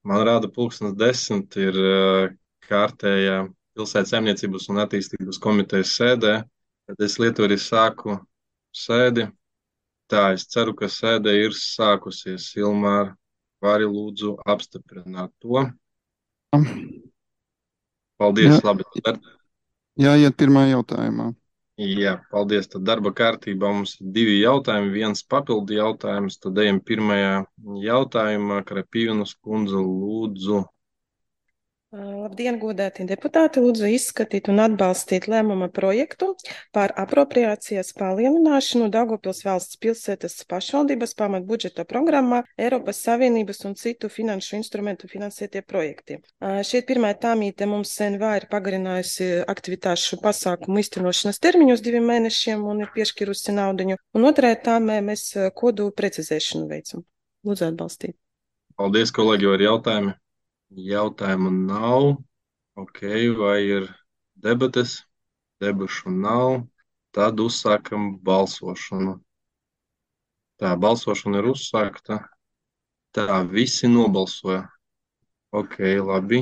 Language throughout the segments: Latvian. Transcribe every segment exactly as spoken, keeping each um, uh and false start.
Man rāda pulkstens desmit ir uh, kārtējā pilsētas saimniecības un attīstības komitejas sēdē. Tad es lietu arī sāku sēdi. Tā, es ceru, ka sēde ir sākusies. Ilmār, vari lūdzu apstiprināt to. Jā, Paldies, labi. Tad, jāiet pirmā jautājumā. jā, paldies. Tad darba kārtībā mums ir divi jautājumi, viens papildu jautājums. Tad ejam pirmajā jautājumā. Krapīvnas kundze lūdzu. Labdien, godētie deputāti! Lūdzu izskatīt un atbalstīt lēmuma projektu par apropriācijas palielināšanu Daugavpils valsts pilsētas pašvaldības pamatbudžeta programmā Eiropas Savienības un citu finanšu instrumentu finansētie projekti. Šeit pirmā tāmīte mums N V A ir pagarinājusi aktivitāšu pasākumu iztenošanas termiņus diviem mēnešiem un ir piešķirusi naudiņu. Un otrā tāmē mēs kodu precizēšanu veicam. Lūdzu atbalstīt. Paldies, kolēģi, ar jautājumi. Jautājumu nav. Ok, vai ir debates? Debašu nav. Tad uzsākam balsošanu. Tā, balsošana ir uzsākta. Tā, visi nobalsoja. Ok, labi.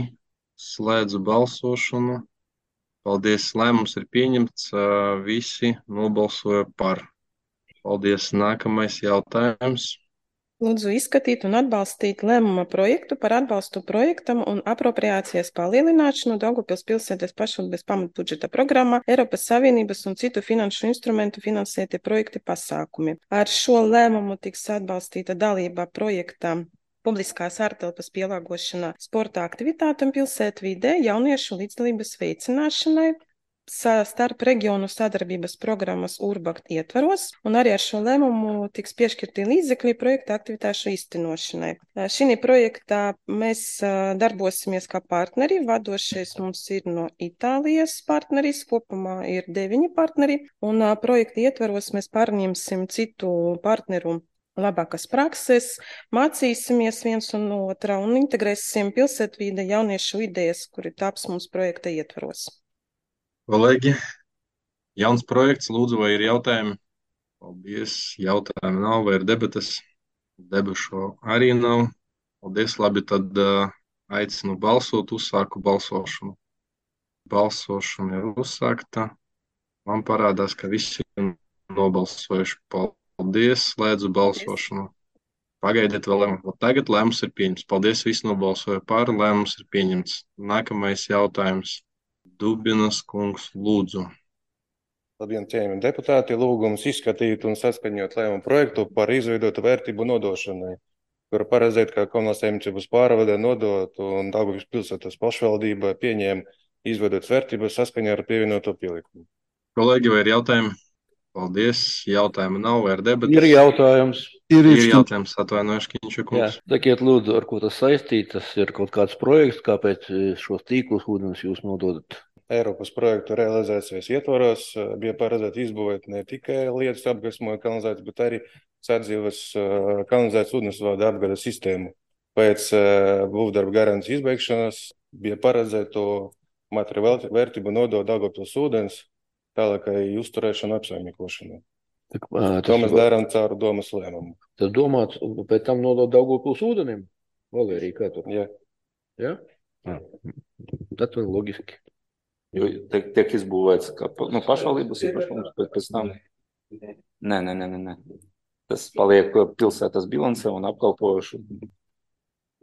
Slēdzu balsošanu. Paldies, lēmums ir pieņemts. Visi nobalsoja par. Paldies, nākamais jautājums. Lūdzu izskatīt un atbalstīt lēmuma projektu par atbalstu projektam un apropriācijas palielināšanu Daugavpils pilsētas pašvaldības pamatbudžeta programmā Eiropas Savienības un citu finanšu instrumentu finansētie projekti pasākumi. Ar šo lēmumu tiks atbalstīta dalība projektā publiskās ārtelpas pielāgošanā sporta aktivitātēm pilsētvidē, jauniešu līdzdalības veicināšanai, starp reģionu sadarbības programmas Urbakt ietvaros, un arī ar šo lēmumu tiks piešķirti līdzekļi projekta aktivitāšu īstenošanai. Šī projektā mēs darbosimies kā partneri. Vadošais mums ir no Itālijas partneris, kopumā ir deviņi partneri, un projekta ietvaros mēs pārņemsim citu partneru labākas prakses, mācīsimies viens un no otra un integrēsim pilsētvide jauniešu idejas, kuri taps mums projekta ietvaros. Kolēģi, jauns projekts, lūdzu, vai ir jautājumi? Paldies, jautājumi nav, vai ir debates? Debašu arī nav. Paldies, labi, tad uh, aicinu balsot, uzsāku balsošanu. Balsošana ir uzsākta. Man parādās, ka visi ir nobalsojuši. Paldies, slēdzu balsošanu. Pagaidiet vēl lēmumu. Tagad lēmums ir pieņemts. Paldies, visi nobalsoja par, lēmums ir pieņemts. Nākamais jautājums. Dubinas kungs, lūdzu. Labdien, cienījamie deputāti! Lūgums izskatīt un saskaņot lēmumu projektu par izveidotu vērtību nodošanai, kuru paredzēt, kā komunālās saimniecības pārvade nodot un Daugavpils pilsētas pašvaldība pieņēma izveidot vērtības saskaņā ar pievienoto pielikumu. Kolēģi, vai ir jautājumi? Paldies. Jautājumu nav, vai ir debatas? Ir jautājums. Ir, Ir jautājums, atvainojuši, Kiņša Jā, kungs. sakiet, lūdzu, ar ko tas saistīts? Tas ir kaut kāds projekts, kāpēc šos tīklus ūdens jūs nododat? Eiropas projektu realizācijas ietvaros bija paredzēta izbūvēt ne tikai lietas apgaismoja kanalizāciju, bet arī sadzīves kanalizācijas ūdensvada apgādes sistēmu. Pēc būvdarba garantijas izbeigšanas bija paredzēta materiālu vērtību nodot Daugavpils ūdens tālākai uzturēšanu apsaimniekošanai. Tak, ā, To mēs tas, darām caur domas lēmumu. tas domāts, pēc tam nodot Daugavpils ūdenim? Valērija, kā tur? Ja. Jā? Jā. Tad vēl logiski. Jo tiek, tiek izbūvēts kā pa- nu, pašvaldības īpašums, bet pēc tam. Nē, nē, nē, nē, nē. Tas paliek pilsētas bilancē un apkalpojuši.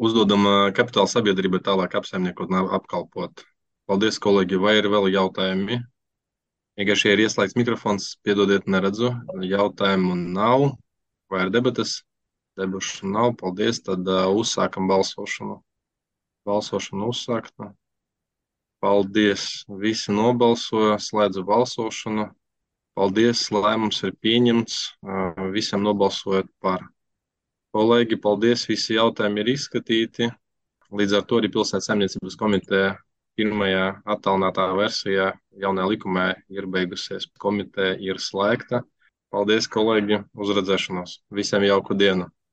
Uzdodam ā, kapitāla sabiedrībai tālāk apsaimniekot un apkalpot. Paldies, kolēģi. Vai ir vēl jautājumi? Vienkārši ir ieslēgts mikrofons, piedodiet, neredzu. Jautājumu nav. Vai ir debatas? Debašu nav. Paldies. Tad uh, uzsākam balsošanu. Balsošana uzsākta. Paldies. Visi nobalsoja. Slēdzu balsošanu. Paldies. Lēmums ir pieņemts. Uh, visiem nobalsojot par. Kolēģi, paldies. Visi jautājumi ir izskatīti. Līdz ar to arī pilsētas saimniecības komiteja pirmajā attālinātā versijā jaunajā likumā ir beigusies. Komiteja ir slēgta. Paldies, kolēģi, uz redzēšanos. Visiem jauku dienu!